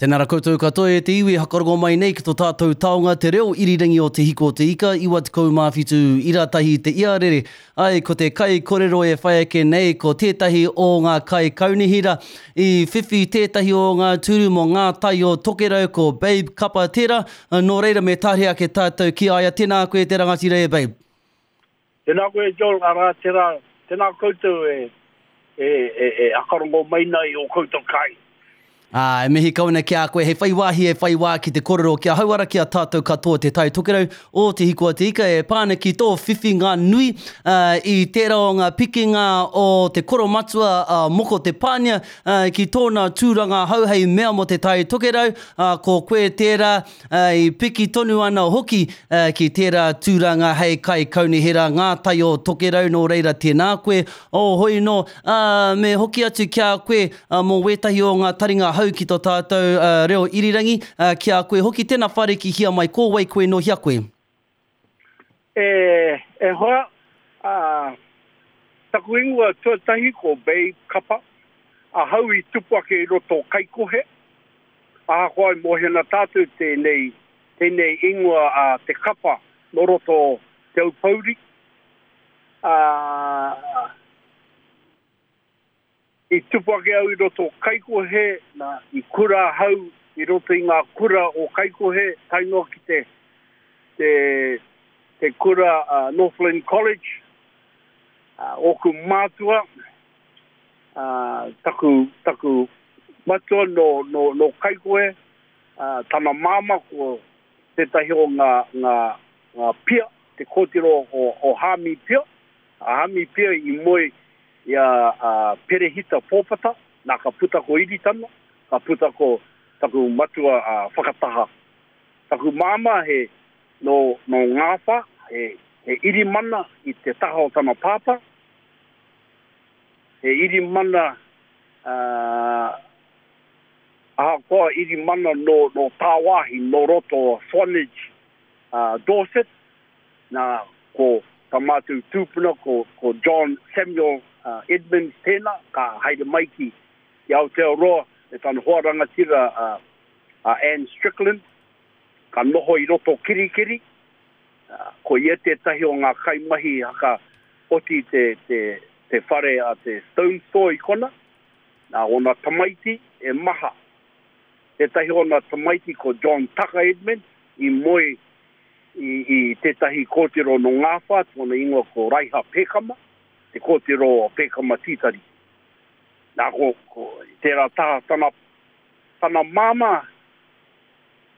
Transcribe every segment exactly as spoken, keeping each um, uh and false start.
Tēnā rā koutou katoa e te iwi hakarongo mai nei ki tō tātou taonga te reo irirangi o Te Hiko o Te Ika, iwa tekau mā whitu ira tahi te iarere. Ai, ko te kai korero e whai ake nei, ko tētahi o ngā kai kaunihira i whiwhi tētahi o ngā tūru mō ngā tai o Tokerau, ko Babe Kapa tērā. Nō reira me tāria ake tātou ki a ia. Tēnā koe te rangatira e Babe. Tēnā koe Joel, arā tērā, tēnā koutou e, e, e, e akarongo mai nei o koutou kai. Ā, e mihi kau ana ki a koe, hei whai wāhi e whai wā ki te korero kia hauara ki a tātou katoa Te Tai Tokerau o Te Hiko a Te Ika e pā ana ki tō whiwhinga nui uh, i tērā o ngā pikinga o te koromatua uh, Moko Te Pānia uh, ki tōna tūranga hau hei mea mō Te Tai Tokerau, uh, ko koe tērā uh, i piki tonu ana hoki uh, ki tērā tūranga hei kai kaunihera ngā tai o Tokerau, nō reira tēnā koe, o hoi nō, uh, me hoki atu ki a koe uh, mō wētahi o ngā taringa hau ki tō tātou uh, reo irirangi, uh, ki a koe hoki, tēnā whare ki hia mai, ko wai koe no hia koe? E, e hoa, uh, taku ingoa tuatahi ko Babe Kapa, a hau i tupu ake i roto Kaikohe, ahakoa i mōhio tātou tēnei, tēnei ingoa a Te Kapa no roto Te Aupouri. Uh, I tupu ake au i roto Kaikohe, na, i kura hau i roto i ngā kura o Kaikohe, tae noa ki te, te, te kura uh, Northland College, uh, oku mātua, uh, taku, taku matua no, no, no Kaikohe, uh, tana māma ko tētahi o ngā, ngā, ngā pia, te kōtiro o, o Hami Pia, a Hami Pia i moe i a, a Perehita Pōpata, nā ka puta ko Iritana, ka puta ko taku matua a Whakataha. Taku māma he no, no Ngāwha, he, he irimana i te taha o tana pāpā, he irimana, uh, ahakoa irimana no, no tāwāhi, no roto Swanage, uh, Dorset, nā ko tā mātou tūpuna, ko, ko John Samuel uh, Edmonds tēnā, ka haere mai ki, ki Aotearoa, me tana hoa rangatira uh, uh, Anne Strickland, ka noho i roto Kirikiri, uh, ko ia tētahi o ngā kaimahi haka oti te, te, te whare a te Stone Store i kona, nā ona tamaiti e maha. Tētahi ona tamaiti ko John Tucker Edmonds, i moe i, i tētahi kōtiro no Ngāwha, tōna ingoa ko Raiha Pekama, te kōtiro o Pekama Tītari. Nā ko, ko tērā taha tana, tana māmā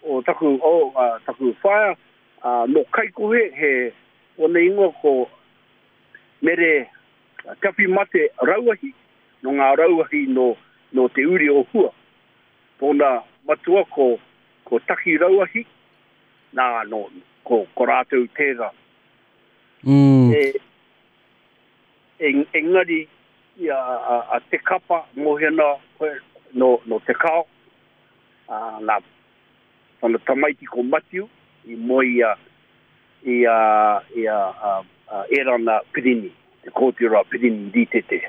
o taku, o, uh, taku whaea, uh, no Kaikohe, he ona ingoa ko Mere Te Mate Rauahi, no ngā Rauahi no, no te uri o Hua. Tōna matua ko, ko Taki Rauahi, nā, no, ko, ko rātou tērā. Mm. E, e, engari i a, a, a Te Kapa, mōhena koe, no, no Te Kao, uh, nā, tana tamaiti ko Matiu, i moe i a, i a, i a, a, a Erana Pirini, te kōtiro a Pirini Rītete.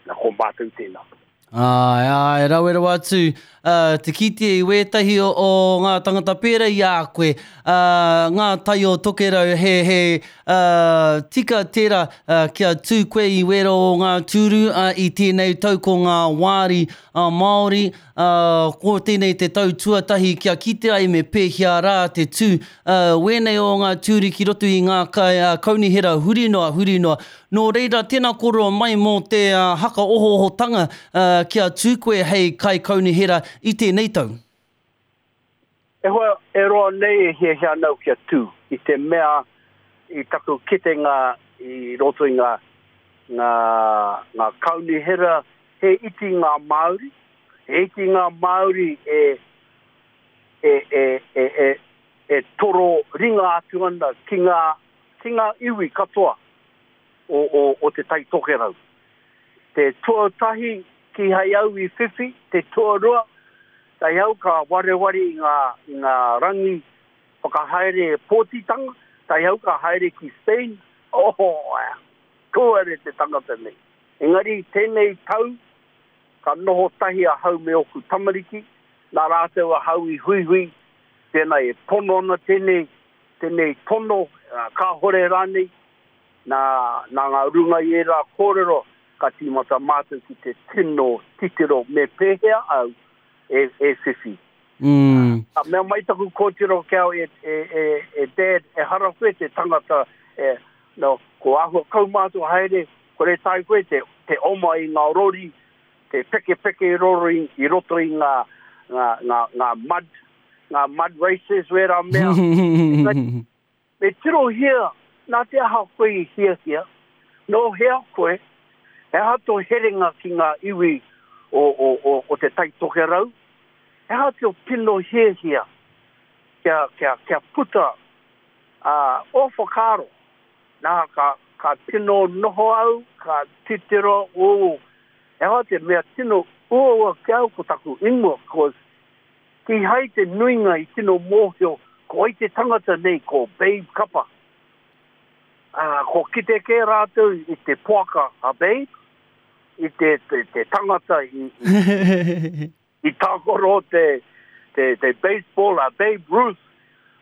Nā, ko mātou tēnā. Ai, ai, rawe rawa atu, uh, te kite i wētahi o, o ngā tangata pērā i a koe, uh, ngā tai o Tokerau, he, he uh, tika tērā uh, kia tū koe i wēra o ngā tūru uh, i tēnei tau ko ngā wāri uh, Māori, uh, ko tēnei te tau tuatahi kia kite ai me pēhea rā te tū, uh, wēnei o ngā tūru ki roto i ngā kai, uh, kaunihera huri noa, huri noa. Nō reira, tēnā kōrero mai mō te uh, haka ohoohotanga uh, kia tū koe hei kai kaunihera i tēnei tau. E hoa, e roa nei e hiahia nau kia tū, i te mea i taku kitenga i roto i ngā, ngā, ngā kaunihera, he iti ngā Māori, he iti ngā Māori e, e, e, e, e, e toro ringa atu ana ki ngā, ki ngā iwi katoa o, o, o te Tai Tokerau. Te tuatahi ki hei au i whiwhi, te tuarua, tai au ka wareware i ngā, i ngā rangi whakahaere pōtitanga, tai au ka haere ki Spain, oh, kōere te tangata nei. Engari tēnei tau, ka noho tahi ahau me oku tamariki, Nā rātou ahau i huihui, tēnā e pono ana tēnei, tēnei tono, kāhore rānei, nā, nā ngā runga i ērā kōrero, ka tīmata mātou ki te tino titiro me pēhea au e, e whiwhi. Mm. Ka mea mai taku kōtiro ki au e, e, e, e dad, e hara koe te tangata, e, no, ko āhua kaumātua haere, kore tae koe te, te oma i ngā rori, te peke peke rori i roto i ngā, ngā, ngā, ngā mud, ngā mud races wērā mea. Me tirohia, nā te aha koe i hiahia, nō hea koe, he aha tō herenga ki ngā iwi o, o, o, o te Tai Tokerau, he aha tō tino hiahia kia, kia, kia puta uh, o whakaaro. Nā, ka, ka tino noho au, ka titiro, o, he aha te mea tino uaua ki au ko taku ingoa, cause kīhai te nuinga i tino mōhio, ko ai te tangata nei, ko Babe Kapa. Uh, ko kite kē rātou i te poaka a Babe, i te, te, te tangata i, i, i tākoro te, te, te baseball a Babe Ruth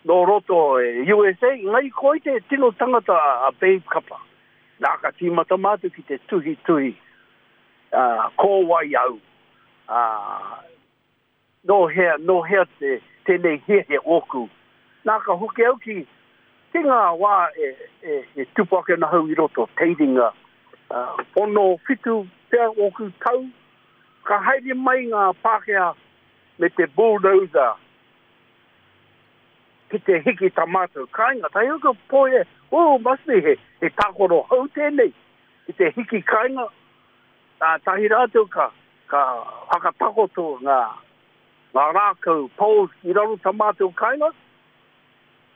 nō roto e U S A, ngai ko ai te tino tangata a, a Babe Kapa. Nā ka tīmata mātou ki te tuhi tuhi, uh, ko wai au, uh, nō hea, nō hea te, tēnei hiahia ōku. Nā ka hoki au ki, ki ngā wā e, e, e tupu ake ana hau i roto, teiringa, uh, ono whitu pea ōku tau, ka haere mai ngā Pākehā me te bulldozer ki te hiki tā mātou kāinga. Tai au ka poe, oh, must be he, he tākoro hou tēnei, ki te hiki kāinga, tā tahi rātou ka, ka whakatakoto ngā, ngā rākau poles i raro tā mātou kāinga.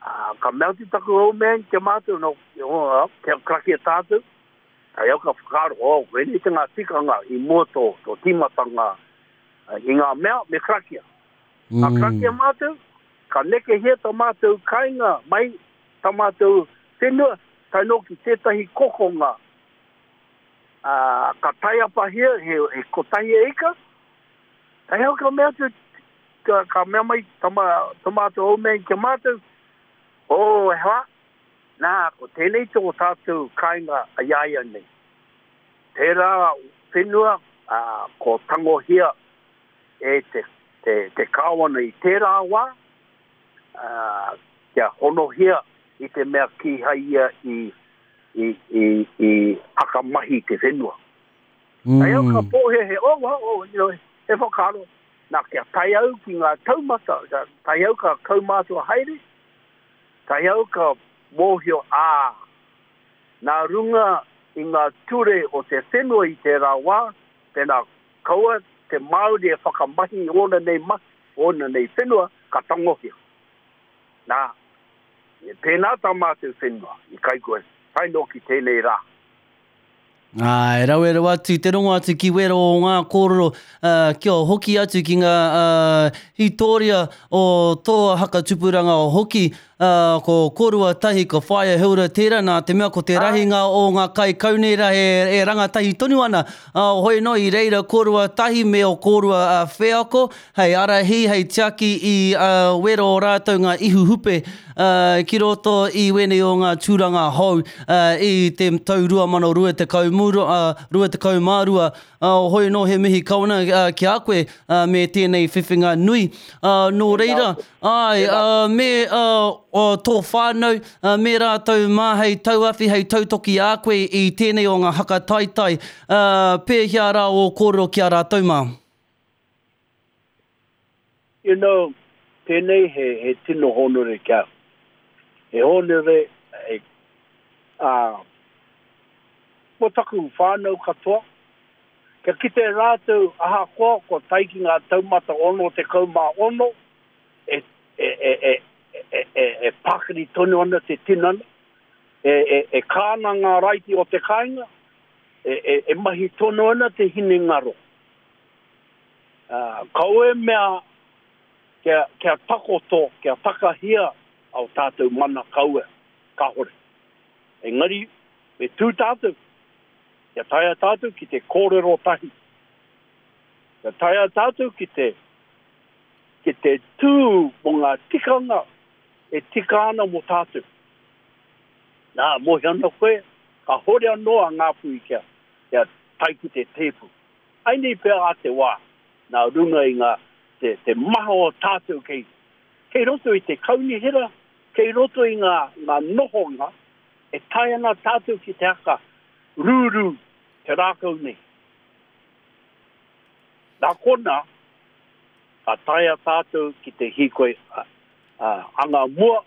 Uh, ka mea atu taku old man kia mātou, no, oh, kia karakia tātou. Tai au ka whakaaro, oh, wēnei te ngā tikanga i mua tō, tō tīmatanga uh, i ngā mea me karakia. Mm. Ka karakia mātou, ka nekehia tā mātou kāinga mai tā mātou whenua, tae noa ki tētahi kokonga. Uh, ka taiapahia, he, he kotahi e ika. Tai au ka mea atu, ka, ka mea mai tā, tā mātou old man kia mātou, oh, e hoa, nā, ko tēnei tō tātou kāinga a iaia nei. Tērā whenua, uh, ko tangohia e te, te, te kāwana i tērā wā, uh, kia honohia i te mea kīhai ia i, i, i, i hakamahi te whenua. Mm. Ai au ka pōhehe, oh, oh, oh, you know, he whakaaro, nā, kia tae au ki ngā taumata, ka tae au ka kaumātua haere, tae au ka mōhio, ā, nā runga i ngā ture o te whenua i tērā wā, tēnā kaua te Māori e whakamahi ōna nei mahi, ōna nei whenua, ka tangohia. Nā, e pēnā tā mātou whenua i Kaikohe, tae noa ki tēnei rā. Ai, rawe rawa atu, te rongo atu ki wero o ngā kōrero, uh, kia hoki atu ki ngā uh, hitoria o tō hakatupuranga o hoki, uh, ko kōrua tahi, ko Whaea Hilda tērā, nā te mea ko te rahinga o ngā kai kaunera e, e rangatahi tonu ana. Uh, hoi no, i reira kōrua tahi me o kōrua uh, wheako, hei arahi, hei tiaki i uh, wero o rātou ngā ihu hupe uh, ki roto i wēnei o ngā tūranga hou uh, i te tau rua mano rua tekau muro, uh, rua tekau mā rua. Uh, hoi no he mihi kawana uh, ki a koe uh, me tēnei whiwhinga nui. Uh, nō reira, ai, uh, me uh, o tō whānau, uh, me rātou mā hei tauawhi, hei tautoki a koe i tēnei o ngā hakataitai. Uh, pēhea rā o kōrero ki a rātou mā? You know, tēnei he, he tino honore ki au. He honore, he, uh, mō taku whānau katoa, kia kite rātou ahakoa ko tae ki ngā taumata ono tekau mā ono, e, e, e, e, e, e, e pakari tonu ana te tinana, e, e, e kāna ngā raiti o te kāinga, e, e, e mahi tonu ana te hinengaro. Uh, kau e mea kia, kia takoto, kia takahia au tātou mana kaua, kahore. Engari, me tū tātou, kia taea tātou ki te kōrero tahi. Kia taea tātou ki te te tū mō ngā tikanga e tika ana mō tātou. Nā, mohi ana koe, ka hore anō a Ngāpuhi kia, kia tae ki te tēpu. Ai nei pea a te wā, nā runga i ngā, te, te maha o tātou kei, kei roto i te kaunihera, kei roto i ngā, ngā nohonga, e tae ana tātou ki te haka rūrū te rākau nei. Nā kona, ka taea tātou ki te hīkoi uh, uh, anga mua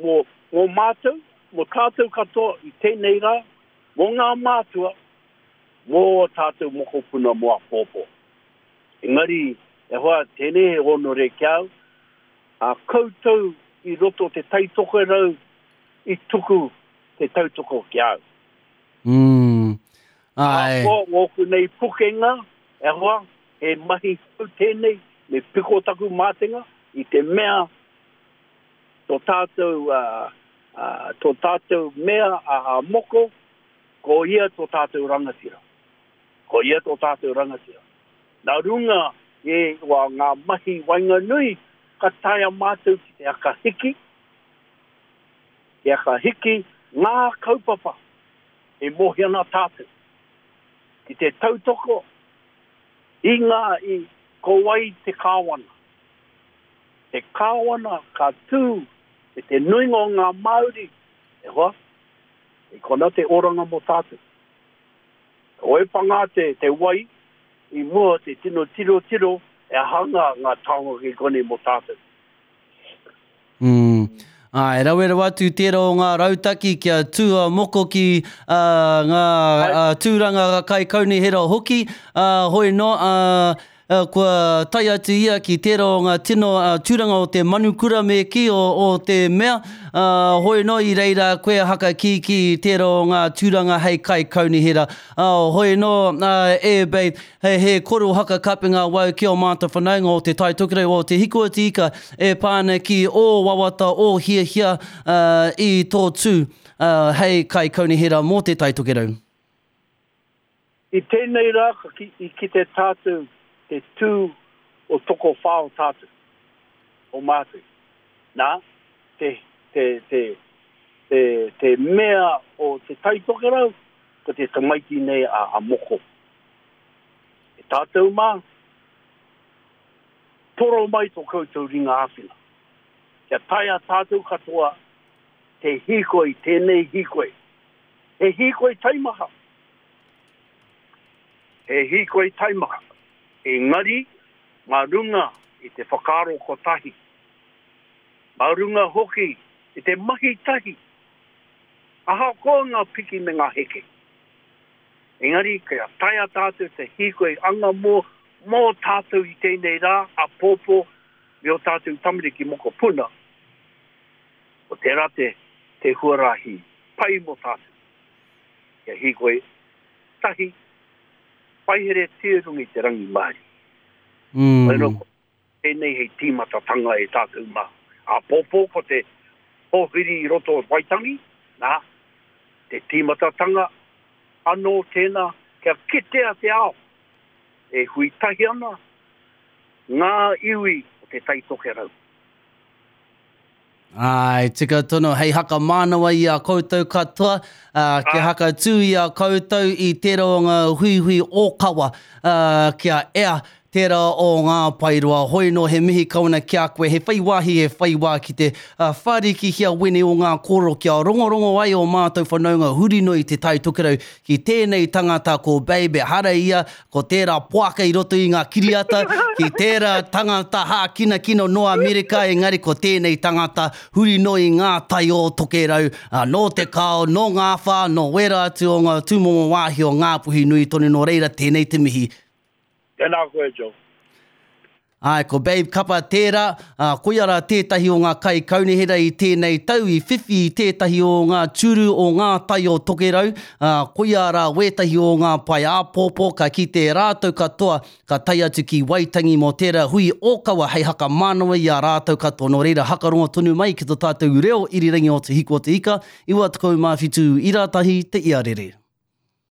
mō, mō mātou, mō tātou katoa i tēnei rā, mō ngā mātua, mō tātou mokopuna mō apōpō. Engari, e hoa, tēnei he honore ki au, a koutou i roto te Taitokerau i tuku te tautoko ki au. Mm. Ai. Ko ngōku nei pukenga, e hoa, he mahi kau tēnei, me piko taku mātenga, i te mea tō tātou, uh, uh, tō tātou mea a, a moko, ko ia tō tātou rangatira. Ko ia tō tātou rangatira. Nā runga e wa ngā mahi waenganui, ka taea mātou ki te akahiki, te akahiki ngā kaupapa e mohi ana tātou. Ki te tautoko i ngā i ko wai te kāwana. Te kāwana ka tū e te nuinga o ngā Māori, e hoa, e kona te oranga mō tātou. O e pangā te, te wai i mua te tino tiro tiro e hanga ngā taonga ki konei mō tātou. Mm. Ai, rawe rawa atu tērā o ngā rautaki kia tū a moko ki uh, ngā uh, tūranga kai kaunihera hoki, uh, hoi no, uh, uh, kua tae atu ia ki tērā o ngā tino uh, tūranga o te manukura me ki o, o te mea, uh, hoi no i reira koe haka ki ki tērā o ngā tūranga hei kai kaunihera. Uh, hoi no, uh, e babe, he, he koro haka kapenga wau ki o māta whanaunga o te Tai Tokerau o te Hiko o te Ika e pāna ki o wawata o hiahia uh, i tō tū uh, hei kai kaunihera mō te Tai Tokerau. I tēnei rā ka ki, i kite tātou te tū o toko whao tātou, o mātou. Nā, te, te, te, te, te mea o te Tai Tokerau, ko te tamaiti nei a, a moko. E tātou mā, toro mai tō koutou ringa āwhina. Kia taea tātou katoa te hīkoi, tēnei hīkoi. He hīkoi taimaha. He hīkoi taimaha. Engari, ngā runga i te whakaaro kotahi. Ngā runga hoki i te mahi tahi. Ahakoa ngā piki me ngā heke. Engari, kia taea tātou te hīkoi anga mō, mō tātou i tēnei rā, a pōpō, me o tātou tamariki mokopuna. O tērā te, te huarahi pai mō tātou. Kia hīkoi tahi, paihere tīrungi te rangi Māori. Mm. Wai no, tēnei hei tīmatatanga e tātou mā. A pōpō ko te pōhiri i roto o Waitangi, nā, te tīmatatanga anō tēnā kia kitea te ao. E hui tahi ana ngā iwi o te Tai Tokerau. Ai, tika tono, hei haka mānawa i a koutou katoa, uh, kia haka tū i a koutou i tērā o ngā huihui ōkawa, uh, kia ea tērā o ngā paeroa. Hoi no he mihi kauna ki a koe, he whai wāhi, he whai wā ki te uh, whārikihia wene o ngā kōrero kia rongorongo ai o mātou whanaunga huri noa i te Tai Tokerau ki tēnei tangata ko Babe, hara ia, ko tērā poaka i roto i ngā kiriata, ki tērā tangata hākinakina no Amerika, engari ko tēnei tangata huri noa i ngā tai o Tokerau, uh, nō te kao, nō ngā whā, nō wera atu o ngā tūmomo wāhi o Ngāpuhi nui tonu, nō reira tēnei te mihi. Tēnā koe, Joe. Ai, ko Babe Kapa tērā, uh, koia rā tētahi o ngā kai kaunihera i tēnei tau, i whiwhi i tētahi o ngā tūru o ngā tai o Tokerau, uh, koia rā wētahi o ngā pae āpōpō, ka kite rātou katoa, ka tae atu ki Waitangi mō tērā hui ōkawa hei haka mānawa i a rātou katoa. Nō reira hakarongo tonu mai ki tō tātou reo irirangi o Te Hiko o Te Ika, iwa tekau mā whitu ira tahi te iarere.